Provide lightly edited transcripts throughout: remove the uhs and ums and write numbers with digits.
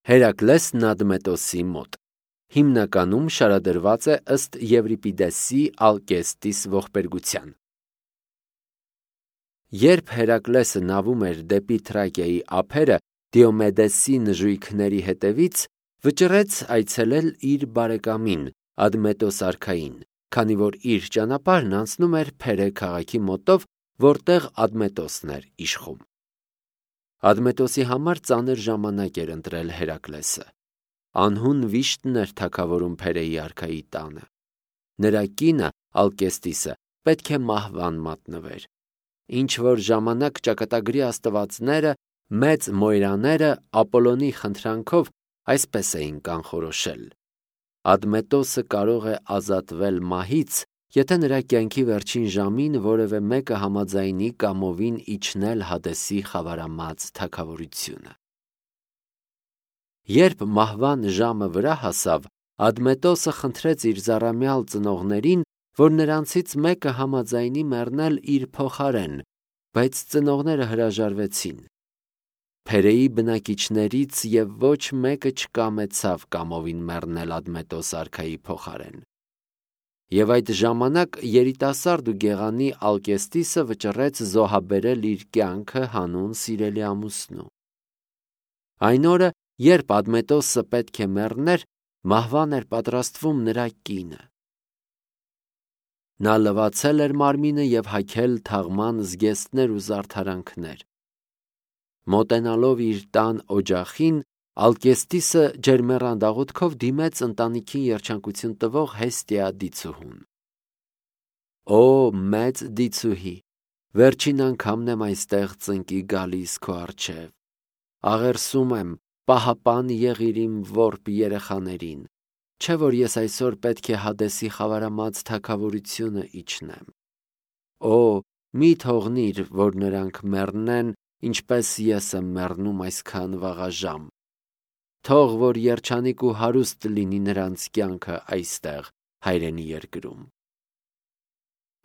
Հերակլեսն Ադմետոսի մոտ։ Հիմնականում շարադրված է ըստ Եվրիպիդեսի Ալկեստիս ողբերգության։ Երբ Հերակլեսը նավում էր դեպի Թրակիայի ափերը Դիոմեդեսի նժույգների հետևից, վճռեց այցելել իր բարեկամին Ադմետոս արքային, քանի որ իր ճանապարհն անցնում էր Փերե քաղաքի մոտով, որտեղ Ադմետոսն էր իշխում։ Ադմետոսի համար ծանր ժամանակ էր ընտրել Հերակլեսը։ Անհուն վիշտն էր թագավորում Փերեի արքայի տանը։ Նրա կինը Ալկեստիսը պետք է մահվան մատնվեր։ Ինչ որ ժամանակ ճակատագրի աստվածները, մեծ մոյրաները Ապոլոնի խնդրանքով այսպես էին կանխորոշել. Ադմետոսը կարող է ազատվել մահից, եթե նրա կյանքի վերջին ժամին որևէ մեկը համաձայնի կամովին իջնել Հադեսի խավարամած թագավորությունը։ Երբ մահվան ժամը վրա հասավ, Ադմետոսը խնդրեց իր զառամյալ ծնողներին, որ նրանցից մեկը համաձայնի մեռնել իր փոխարեն, բայց ծնողները հրաժարվեցին։ Փերեի բնակիչներից և ոչ մեկը չկամեցավ կամովին մեռնել Ադմետոս արքայի փոխարեն։ Եվ այդ ժամանակ երիտասարդ ու գեղանի Ալկեստիսը վճռեց զոհաբերել իր կյանքը հանուն սիրելի ամուսնու։ Այն օրը, երբ Ադմետոսը պետք է մեռներ, մահվան էր պատրաստվում նրա կինը։ Նա լվացել էր մարմինը և հագել թաղման զգեստներ ու զարդարանքներ։ Մոտենալով իր տան օջախին, Ալկեստիսը ջերմեռան դաղուտքով դիմեց ընտանիքին երջանկություն տվող Հեստիա դիցուհուն։ Օ, մեծ դիցուհի, վերջին անգամն եմ այստեղ ծնկի գալիս քո առջև։ Աղերսում եմ, պահապան եղիր իմ որբ երեխաներին, չէ որ ես այսօր պետք է Հադեսի խավարամած թագավորությունը իջնեմ։ Օ, մի թողնիր, որ նրանք մեռնեն, ինչպես ես եմ մեռնում այսքան վաղաժամ։ Թող որ երջանիկ ու հարուստ լինի նրանց կյանքը այստեղ, հայրենի երկրում։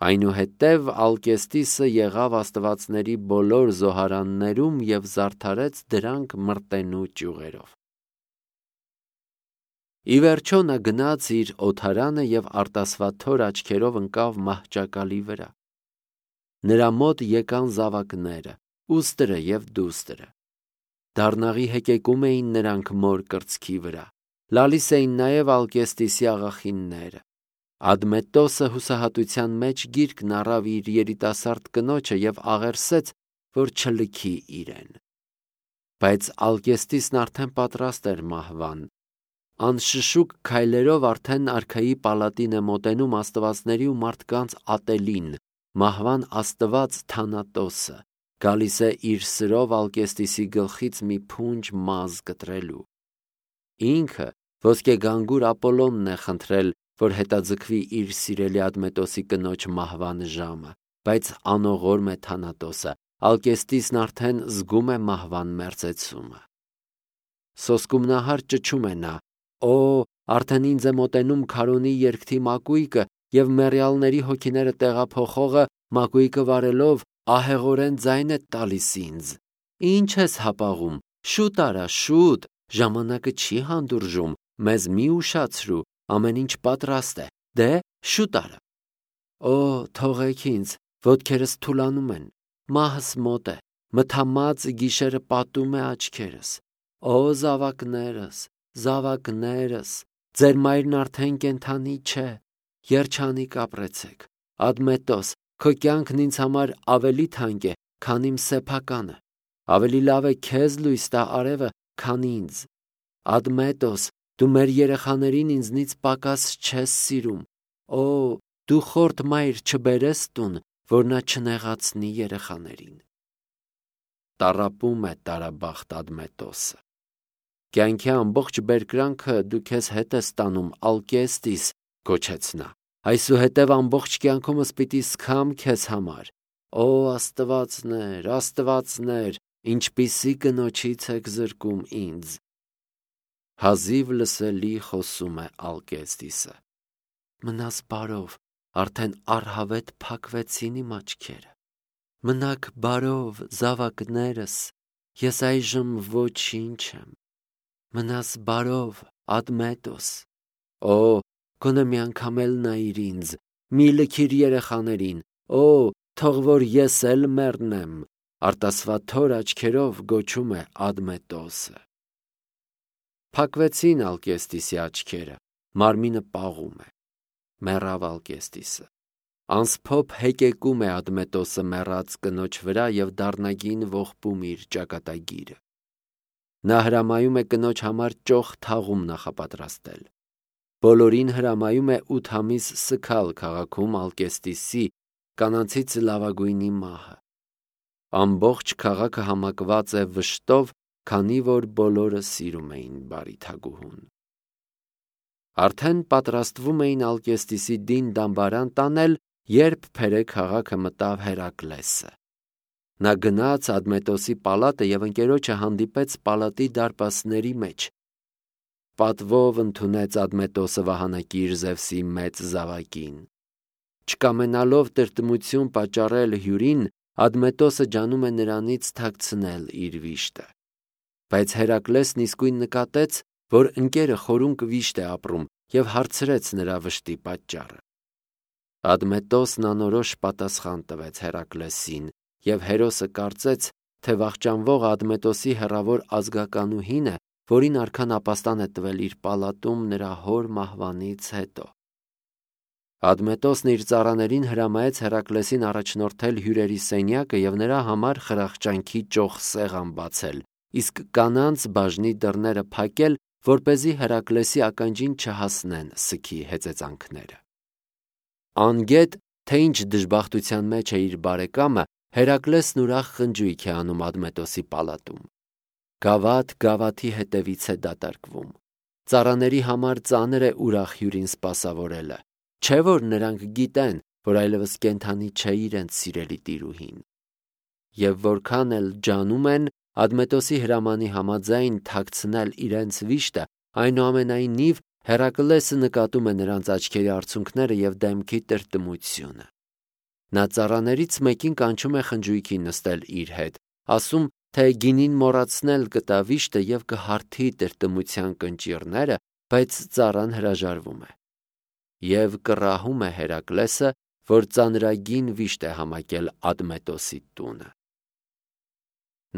Այնուհետև Ալկեստիսը եղավ աստվածների բոլոր զոհարաններում և զարդարեց դրանք մրտենու ճյուղերով։ Ի վերջո նա գնաց իր օդարանը և արտասվաթոր աչքերով ընկավ մահճակալի վրա։ Նրա մոտ եկան զավակները, ուստրը և դուստրը։ Դառնաղի հեկեկում էին նրանք մոր կրծքի վրա, լալիս էին նաև Ալկեստիսի աղախինները։ Ադմետոսը հուսահատության մեջ գիրկն առավ իր երիտասարդ կնոջը և աղերսեց, որ չլքի իրեն։ Բայց Ալկեստիսն արդեն պատրաստ էր մահվան։ Անշշուկ քայլերով արդեն արքայի պալատին է մոտենում աստվածների ու մարդկանց ատելին, մահվան աստված Թանատոսը, գալիս է իր սրով Ալկեստիսի գլխից մի փունջ մազ կտրելու։ Ինքը ոսկեգանգուր Ապոլոնն է խնդրել, որ հետաձգվի իր սիրելի Ադմետոսի կնոջ մահվան ժամը, բայց անողորմ է Թանատոսը, Ալկեստիսն արդեն զգում է մահվան մերձեցումը։ Սոսկումնահար ճչում է նա. «Օ, արդեն ինձ է մոտենում քարոզի երգթի մակույկը և մեռյալների հոգիները տեղափոխողը մակույկը վարելով ահեղորեն ձայն է տալիս ինձ։ Ինչ ես հապաղում, շուտ արա, շուտ, ժամանակը չի հանդուրժում, մեզ մի ուշացրու, ամեն ինչ պատրաստ է, դե շուտ արա։ Օ, թողեք ինձ, ոտքերս թուլանում են, մահս մոտ է, մթամած գիշերը պատում է աչքերս։ Օ, զավակներս, զավակներս, ձեր մայրն արդեն կենդանի չէ, երջանիկ ապրեցեք, Ադմետոս, քո կյանքն ինձ համար ավելի թանկ է, քան իմ սեփականը, ավելի լավ է քեզ լույս տա արևը, քան ինձ։ Ադմետոս, դու մեր երեխաներին ինձնից պակաս չես սիրում, օ, դու խորթ մայր չբերես տուն, որ նա չնեղացնի երեխաներին։ Տառապում է տարաբախտ Ադմետոսը։ Կյանքի ամբողջ բերկրանքը դու քեզ հետ ես տանում, Ալկեստիս, գոչեց նա, այսուհետև ամբողջ կյանքումս պիտի սգամ քեզ համար։ Օ, աստվածներ, աստվածներ, ինչպիսի կնոջից եք զրկում ինձ։ Հազիվ լսելի խոսում է Ալկեստիսը։ Մնաս բարով, արդեն առհավետ փակվեցին իմ աչքերը։ Մնաք բարով, զավակներս, ես այժմ ոչինչ եմ։ Մնաս բարով, Ադմետոս։ Օ, գոնե մի անգամ էլ նայիր ինձ, մի լքիր երեխաներին, օ, թող որ ես էլ մեռնեմ, արտասվաթոր աչքերով գոչում է Ադմետոսը։ Փակվեցին Ալկեստիսի աչքերը, մարմինը պաղում է, մեռավ Ալկեստիսը։ Անսփոփ հեկեկում է Ադմետոսը մեռած կնոջ վրա և դառնագին ողբում իր ճակատագիրը։ Նա հրամայում է կնոջ համար ճոխ թաղում նախապատրաստել։ Բոլորին հրամայում է 8 ամիս սգալ քաղաքում Ալկեստիսի կանանցից լավագույնի մահը։ Ամբողջ քաղաքը համակված է վշտով, քանի որ բոլորը սիրում էին բարի թագուհուն։ Արդեն պատրաստվում էին Ալկեստիսի դին դամբարան տանել, երբ փերե քաղաքը մտավ Հերակլեսը։ Նա գնաց Ադմետոսի պալատը և ընկերոջը հանդիպեց պալատի դարպասների մեջ։ Պատվով ընդունեց Ադմետոսը վահանակիր Զևսի մեծ զավակին։ Չկամենալով տրտմություն պատճառել հյուրին, Ադմետոսը ջանում է նրանից թաքցնել իր վիշտը։ Բայց Հերակլեսն իսկույն նկատեց, որ ընկերը խորունկ վիշտ է ապրում և հարցրեց նրա վշտի պատճառը։ Ադմետոսն անորոշ պատասխան տվեց Հերակլեսին, և հերոսը կարծեց, թե վախճանվող Ադմետոսի հեռավոր ազգականուհին է, որին արքան ապաստան է տվել իր պալատում նրա հոր մահվանից հետո։ Ադմետոսն իր ծառաներին հրամայեց Հերակլեսին առաջնորդել հյուրերի սենյակը և նրա համար խրախճանքի ճոխ սեղան բացել, իսկ կանանց բաժնի դռները փակել, որպեսզի Հերակլեսի ականջին չհասնեն սգի հեծեծանքները։ Անգետ, թե ինչ դժբախտության մեջ է իր բարեկամը, Հերակլեսն ուրախ խնջույք է անում Ադմետոսի պալատում։ Գավաթ գավաթի հետևից է դատարկվում։ Ծառաների համար ծանր է ուրախ հյուրին սպասավորելը, չէ որ նրանք գիտեն, որ այլևս կենդանի չէ իրենց սիրելի տիրուհին։ Եվ որքան էլ ջանում են Ադմետոսի հրամանի համաձայն թաքցնել իրենց վիշտը, այնուամենայնիվ Հերակլեսը նկատում է նրանց աչքերի արցունքները և դեմքի տրտմությունը։ Նա ծառաներից մեկին կանչում է խնջույքին նստել իր հետ, ասում, թե գինին մոռացնել կտա վիշտը և կհարթի տրտմության կնճիռները, բայց ծառան հրաժարվում է։ Եվ կռահում է Հերակլեսը, որ ծանրագին վիշտ է համակել Ադմետոսի տունը։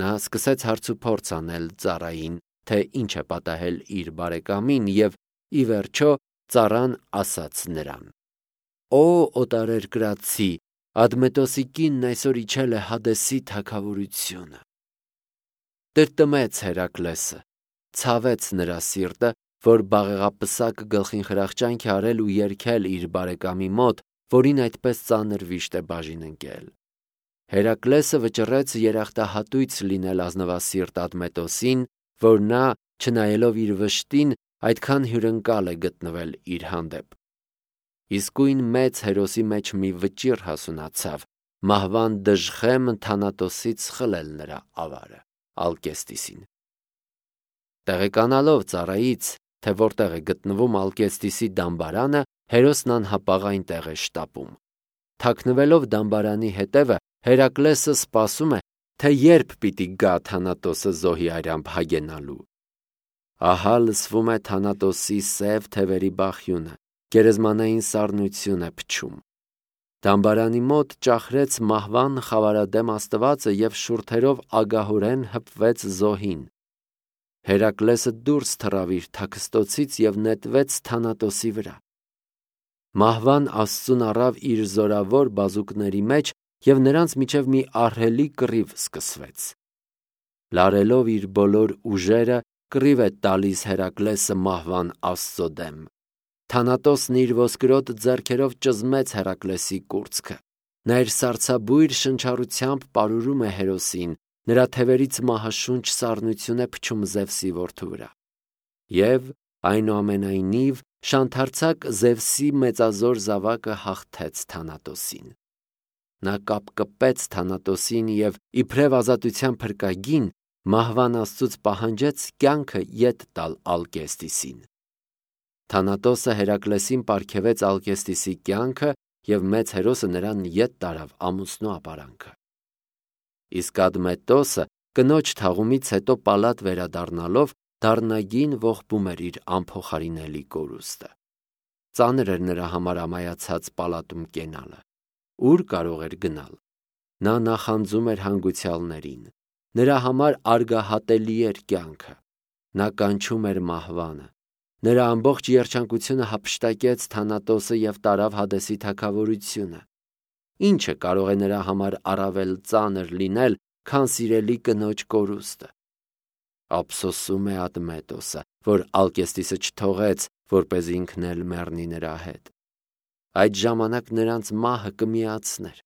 Նա սկսեց հարցուփորձ անել ծառային, թե ինչ է պատահել իր բարեկամին, և ի վերջո ծառան ասաց նրան. «Օ օտարերկրացի, Ադմետոսի կինն այսօր իջել է Հադեսի թագավորությունը»։ Տրտմեց Հերակլեսը, ցավեց նրա սիրտը, որ բաղեղապսակ գլխին խրախճանք է արել ու երգել իր բարեկամի մոտ, որին այդպես ծանր վիշտ է բաժին ընկել։ Հերակլեսը վճռեց երախտահատույց լինել ազնվասիրտ Ադմետոսին, որ նա, չնայելով իր վշտին, այդքան հյուրընկալ է գտնվել իր հանդեպ։ Իսկույն մեծ հերոսի մեջ մի վճիռ հասունացավ, մահվան դժխեմ թանատոսից խլել նրա ավարը, Ալկեստիսին։ Տեղեկանալով ծառայից, թե որտեղ է գտնվում Ալկեստիսի դամբարանը, հերոսն անհապաղ այնտեղ է շտապում։ Թաքնվելով դամբարանի հետևը, Հերակլեսը սպասում է, թե երբ պիտի գա Թանատոսը զոհի արյամբ հագենալու։ Ահա լսվում է Թանատոսի սև թևերի բախյունը, գերեզմանային սառնություն է փչում։ Դամբարանի մոտ ճախրեց մահվան խավարադեմ աստվածը և շուրթերով ագահորեն հպվեց զոհին։ Հերակլեսը դուրս թռավ իր թաքստոցից և նետվեց Թանատոսի վրա։ Մահվան աստծուն առավ իր զորավոր բազուկների մեջ և նրանց միջև մի ահռելի կռիվ սկսվեց։ Լարելով իր բոլոր ուժերը, կռիվ է տալիս Հերակլեսը մահվան աստծո դեմ։ Թանատոսն իր ոսկրոտ ձեռքերով ճզմեց Հերակլեսի կուրծքը։ Նա իր սառցաբույր շնչառությամբ պարուրում է հերոսին, նրա թևերից մահաշունչ սառնություն է փչում Զևսի որդու վրա։ Եվ, այնուամենայնիվ, շանթարցակ Զևսի մեծազոր զավակը հաղթեց Թանատոսին։ Նա կապկպեց Թանատոսին և, իբրև ազատության փրկագին, մահվան աստծուց պահանջեց կյանքը ետ տալ Ալկեստիսին։ Թանատոսը Հերակլեսին պարգևեց Ալկեստիսի կյանքը և մեծ հերոսը նրան ետ տարավ ամուսնու ապարանքը։ Իսկ Ադմետոսը կնոջ թաղումից հետո պալատ վերադառնալով դառնագին ողբում էր իր անփոխարինելի կորուստը։ Ծանր էր նրա համար ամայացած պալատում կենալը։ Ուր կարող էր գնալ։ Նա նախանձում էր հանգուցյալներին։ Նրա համար արգահատելի էր կյանքը։ Նա կանչում էր մահվանը։ Նրա ամբողջ երջանկությունը հափշտակեց Թանատոսը և տարավ Հադեսի թագավորությունը։ Ինչը կարող է նրա համար առավել ծանր լինել, քան սիրելի կնոջ կորուստը։ Ափսոսում է Ադմետոսը, որ Ալկեստիսը չթողեց, որպեսզի ինքն էլ մեռնի նրա հետ։ Այդ ժամանակ նրանց մահը կմիացներ։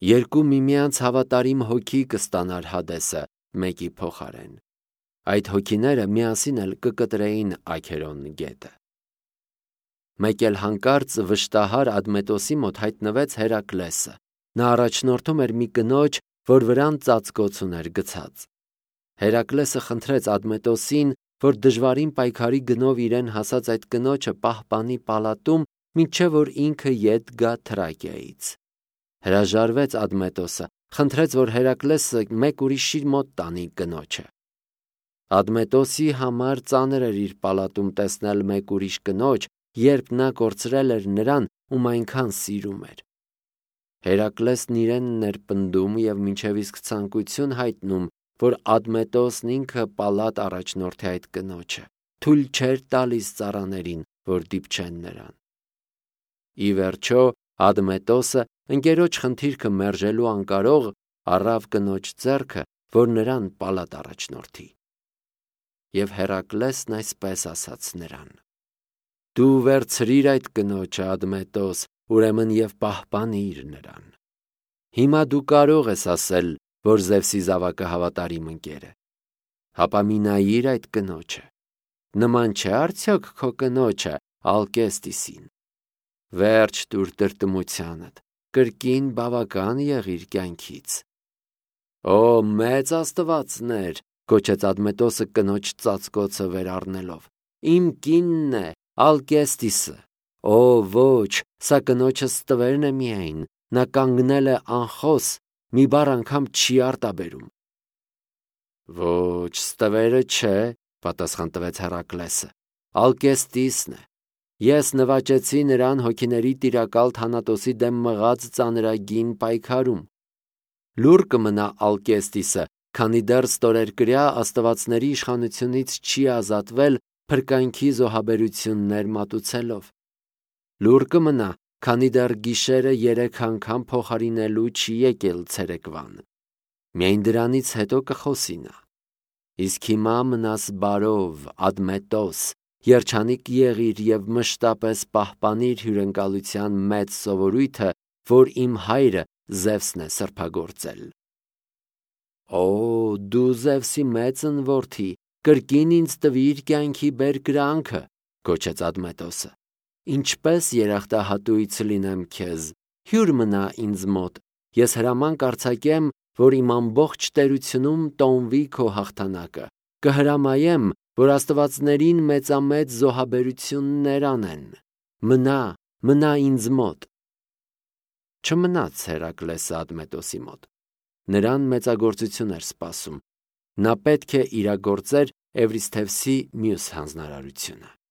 Երկու միմյանց հավատարիմ հոգի կստանար Հադեսը մեկի փոխարեն։ Այդ հոգիները միասին էլ կկտրեին Աքերոն գետը։ Մեկ էլ հանկարծ վշտահար Ադմետոսի մոտ հայտնվեց Հերակլեսը։ Նա առաջնորդում էր մի կնոջ, որ վրան ծածկոց ուներ գցած։ Հերակլեսը խնդրեց Ադմետոսին, որ դժվարին պայքարի գնով իրեն հասած այդ կնոջը պահպանի պալատում, մինչև որ ինքը ետ գա Թրակիայից։ Հրաժարվեց Ադմետոսը, խնդրեց, որ Հերակլեսը մեկ ուրիշի մոտ տանի կնոջը։ Ադմետոսի համար ծանր էր իր պալատում տեսնել մեկ ուրիշ կնոջ, երբ նա կորցրել էր նրան, ում այնքան սիրում էր։ Հերակլեսն իրենն էր պնդում և մինչև իսկ ցանկություն հայտնում, որ Ադմետոսն ինքը պալատ առաջնորդի այդ կնոջը, թույլ չէր տալիս ծառաներին, որ դիպչեն նրան։ Ի վերջո Ադմետոսը, ընկերոջ խնդիրքը մերժելու անկարող, առավ կնոջ ձեռքը, որ նրան պալատ առաջնորդի։ Եվ Հերակլեսն այսպես ասաց նրան. «Դու վերցրիր այդ կնոջը, Ադմետոս, ուրեմն և պահպանիր նրան։ Հիմա դու կարող ես ասել, որ Զևսի զավակը հավատարիմ ընկեր է։ Հապա մի նայիր այդ կնոջը։ Նման չէ արդյոք քո կնոջը Ալկեստիսին։ Վերջ տուր տրտմությանդ, կրկին բավական եղիր կյանքից»։ Օ, մեծ աստվածներ, գոչեց Ադմետոսը կնոջ ծածկոցը վեր առնելով։ Իմ կինն է, Ալկեստիսը։ Օ, ոչ, սա կնոջս տվերն է միայն, նա կանգնել է անխոս, մի բառ անգամ չի արտաբերում։ Ոչ, ստվերը չէ, պատասխան տվեց Հերակլեսը, Ալկեստիսն է։ Ես նվաճեցի նրան հոգիների տիրակալ Թանատոսի դեմ մղած ծանրագին պայքարում։ Լուռ կմնա Ալկեստիսը, քանի դեռ ստորերկրյա աստվածների իշխանությունից չի ազատվել փրկանքի զոհաբերություններ մատուցելով։ Լուռ կմնա, քանի դեռ գիշերը 3 անգամ փոխարինելու չի եկել ցերեկվան։ Միայն դրանից հետո կխոսի նա։ Իսկ հիմա մնաս բարով, Ադմետոս, երջանիկ եղիր և մշտապես պահպանիր հյուրընկալության մեծ սովորույթը, որ իմ հայրը Զևսն է սրբագործել։ Օ, դու Զևսի մեծն որդի, կրկին ինձ տվիր կյանքի բերկրանքը, գոչեց Ադմետոսը։ Ինչպես երախտահատույց լինեմ քեզ, հյուր մնա ինձ մոտ, ես հրաման կարձակեմ, որ իմ ամբողջ տերությունում տոնվի քո հաղթանակը, կհրամայեմ, որ աստվածներին մեծամեծ զոհաբերություններ անեն։ Մնա ինձ մոտ։ Չմնաց Հերակլեսը Ադմետոսի մոտ։ Նրան մեծագործություն էր սպասում։ Նա պետք է իրագործեր Էվրիսթևսի մյուս հանձնարարությունը։